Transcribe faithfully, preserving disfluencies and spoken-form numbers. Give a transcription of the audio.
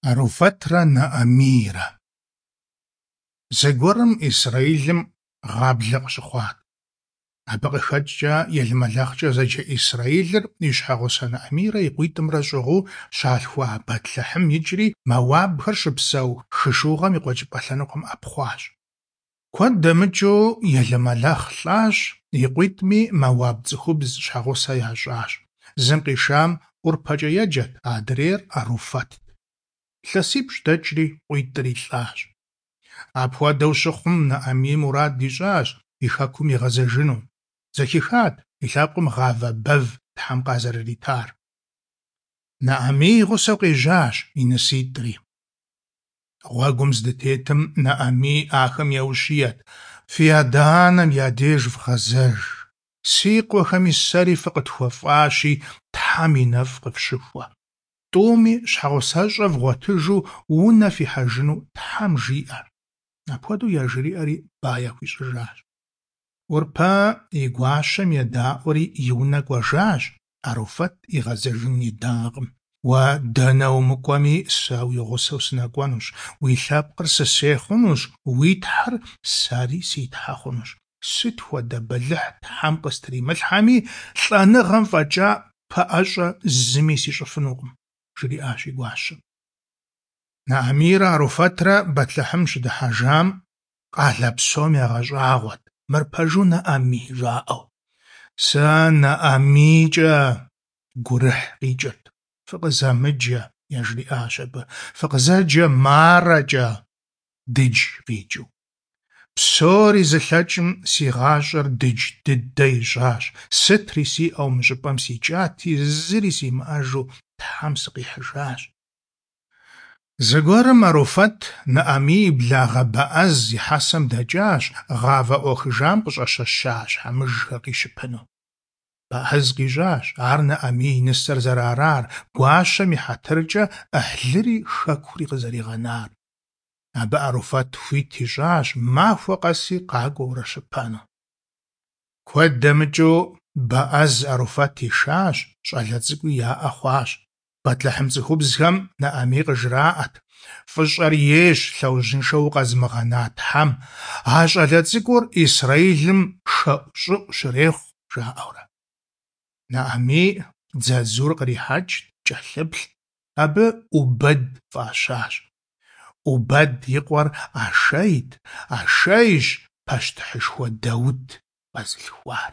Аруфэтрэ Нэӏэмийрэ. Зэгуэрым Исрэилым гъаблэ къыщыхъуат. Абы къыхэкӏкӏэ Елмэлэхъкӏэ зэджэ исрэилыр и щхьэгъусэ Нэӏэмийрэ и къуитӏымрэ щӏыгъуу щалъхуа Бэтлъэхьым икӏри мэуабхэр щыпсэу хы Шыугъэм и къуэкӏыпӏэ лъэныкъуэм ӏэпхъуащ. Куэд дэмыкӏыу Елмэлэхъ лӏащ, и къуитӏми мэуаб цӏыхубз щхьэгъусэ ящӏащ. Зым къишам ӏурпэкӏэ еджэт, адрейр Аруфэтт. Илъэсипщӏ дэкӏри къуитӏри лӏащ. Апхуэдэу щыхъум, Нэӏэмий мурад ищӏащ и хэкум игъэзэжыну. Зэхихат и лъэпкъым гъавэ бэв Тхьэм къазэрыритар. Нэӏэмий и гъусэу къежьащ и ныситӏри. Гъуэгум здытетым Нэӏэмий ахэм еущиет: «Фи адэ-анэм я деж вгъэзэж. Си къуэхэми сэри фыкъытхуэфӏащи, Тхьэм и нэфӏ къыфщыхуэ. Тӏуми щхьэгъусэщӏэ вгъуэтыжу унэ фихьэжыну Тхьэм жиӏэ». Апхуэдэу яжриӏэри ба яхуищӏыжащ. Ӏурпэ и гуащэм едаӏуэри и унэ кӏуэжащ, Аруфэт игъэзэжын идакъым. Уэ дэнэ умыкӏуэми, сэ уи гъусэу сынэкӏуэнущ, уи лъэпкъыр сысей хъунущ, уи Тхьэр сэри си Тхьэ хъунущ. Сыт хуэдэ бэлыхь Тхьэм къыстримылъхьэми, лӏэныгъэм фӏэкӏа пэӏэщӏэ зыми сищӏыфынукъым, жриӏащ и гуащэм. Нэӏэмийрэ Аруфэтрэ Бэтлъэхьым щыдыхьэжам, къалэ псом ягъэщӏагъуэт: «Мыр пэжу Нэӏэмий?» жаӏэу. Сэ Нэӏэмийкӏэ гурыхь къикӏырт. Фыкъызэмыджэ, яжриӏащ абы, фыкъызэджэ Марэкӏэ, дыдж къикӏыу. Псори зылъэкӏым си гъащӏэр дыдж дыдэ ищӏащ, сытри сиӏэу мы щӏыпӏэм сикӏати, зыри симыӏэжу Тхьэм сыкъихьыжащ. Зэгуэрым Аруфэт Нэӏэмий и благъэ Бэӏэз и хьэсэм дэкӏащ гъавэ ӏуахыжам къыщӏэщэща щхьэмыжхэр къищыпыну. Бэӏэз къищӏащ ар Нэӏэмий и нысэр зэрыарар, гуащэм и хьэтыркӏэ ӏыхьлыри хэкури къызэригъэнар. Абы Аруфэт хуит ищӏащ махуэ къэси къакӏуэурэ щыпэну. Куэд дэмыкӏыу Бэӏэз Аруфэт ишащ, щӏалэ цӏыкӏуи яӏэ хъуащ. Бэтлъэхьым цӏыхубзхэм Нэӏэмий къыжраӏэт: «Фӏыщӏэр ейщ лъэужьыншэу укъэзымыгъэна Тхьэм, а щӏалэ цӏыкӏур Исрэилым хэӏущӏыӏу щрехъу», жаӏэурэ. Нэӏэмий дзадзур кърихьэкӏт, кӏэлъыплът, абы ӏубэд фӏащащ. ӏубэд и къуэр Ашэйт, Ашэйщ пащтыхьышхуэ Даут къэзылъхуар.